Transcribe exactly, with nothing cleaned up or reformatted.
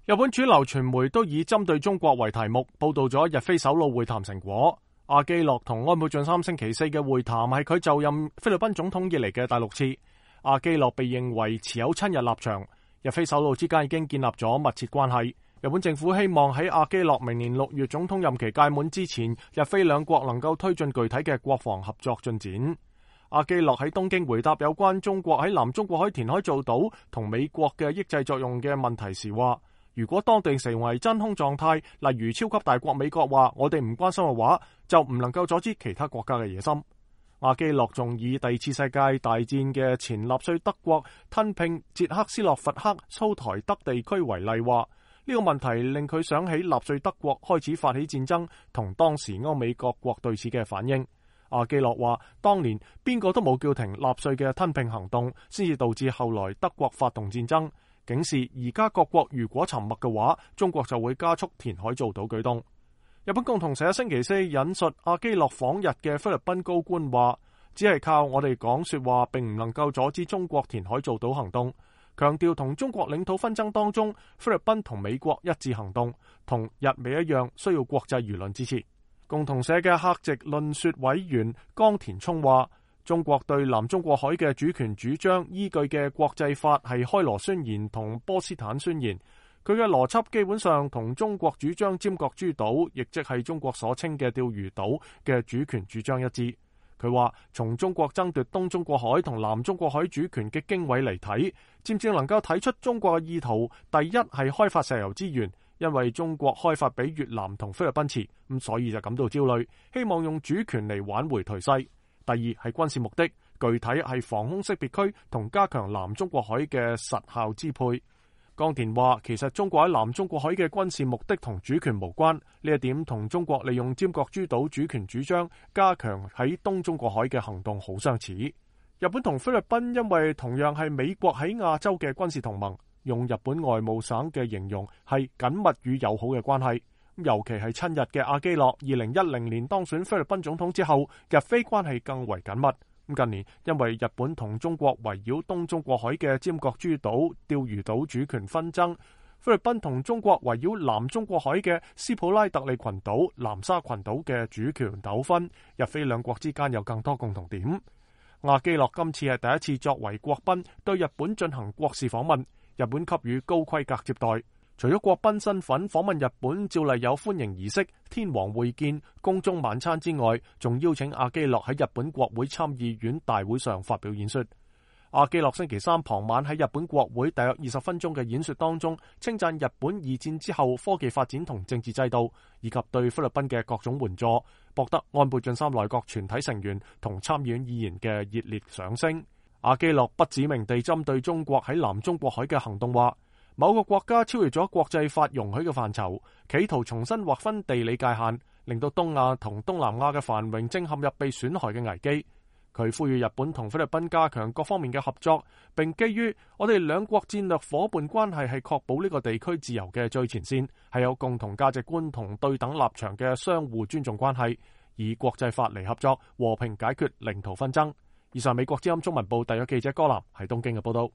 日本主流傳媒都以針對中國為題目，報道咗日菲首腦會談成果。阿基諾同安倍晉三星期四嘅會談係佢就任菲律賓總統以嚟嘅第六次。阿基諾被認為持有親日立場，日菲首腦之間已經建立咗密切關係。日本政府希望喺阿基諾明年六月總統任期屆滿之前，日菲兩國能夠推進具體嘅國防合作進展。阿基諾喺東京回答有關中國喺南中國海填海造島同美國嘅抑制作用嘅問題時話，如果當地成為真空狀態，例如超級大國美國話我哋唔關心嘅話，就唔能夠阻止其他國家嘅野心。阿基諾仲以第二次世界大戰嘅前納粹德國吞併捷克斯洛伐克蘇台德地區為例，話呢個問題令佢想起納粹德國開始發起戰爭同當時歐美各國對此嘅反應。阿基諾話當年邊個都冇叫停納粹嘅吞併行動，先至導致後來德國發動戰爭，警示而家各國如果沉默嘅話，中國就會加速填海造島舉動。日本共同社星期四引述阿基諾訪日嘅菲律賓高官話，只係靠我哋講說話並唔能夠阻止中國填海造島行動，強調同中國領土紛爭當中，菲律賓同美國一致行動，同日美一樣需要國際輿論支持。共同社嘅客席論說委員江田聰話，中國對南中國海嘅主權主張依據嘅國際法係開羅宣言同波茨坦宣言，佢嘅邏輯基本上同中國主張尖閣諸島，亦即係中國所稱嘅釣魚島嘅主權主張一致。佢話從中國爭奪東中國海同南中國海主權嘅經緯嚟睇，漸漸能夠睇出中國嘅意圖。第一係開發石油資源，因為中國開發比越南同菲律賓遲，咁所以就感到焦慮，希望用主權嚟挽回頹勢。第二係軍事目的，具體係防空識別區同加強南中國海嘅實效支配。江田話，其實中國喺南中國海嘅軍事目的同主權無關，呢一點同中國利用尖閣諸島主權主張加強喺東中國海嘅行動好相似。日本同菲律賓因為同樣係美國喺亞洲嘅軍事同盟，用日本外務省嘅形容係緊密與友好嘅關係。尤其係親日嘅阿基諾，二零一零年當選菲律賓總統之後，日菲關係更為緊密。近年因為日本同中國圍繞東中國海嘅尖閣諸島、釣魚島主權紛爭，菲律賓同中國圍繞南中國海嘅斯普拉特利群島、南沙群島嘅主權糾紛，日菲兩國之間有更多共同點。阿基諾今次係第一次作為國賓對日本進行國事訪問，日本給予高規格接待。除咗國賓身份訪問日本，照例有歡迎儀式、天皇會見、宮中晚餐之外，仲邀請阿基諾喺日本國會參議院大會上發表演說。阿基諾星期三傍晚喺日本國會大約二十分鐘嘅演說當中，稱讚日本二戰之後科技發展同政治制度，以及對菲律賓嘅各種援助，博得安倍晉三內閣全體成員同參議院議員嘅熱烈掌聲。阿基諾不指名地針對中國喺南中國海嘅行動話，某個國家超越咗國際法容許嘅範疇，企圖重新劃分地理界限，令到東亞同東南亞嘅繁榮正陷入被損害嘅危機。佢呼籲日本同菲律賓加強各方面嘅合作，並基於我哋兩國戰略夥伴關係係確保呢個地區自由嘅最前線，係有共同價值觀同對等立場嘅相互尊重關係，以國際法嚟合作，和平解決領土紛爭。以上美國之音中文部特約記者柯南喺東京嘅報道。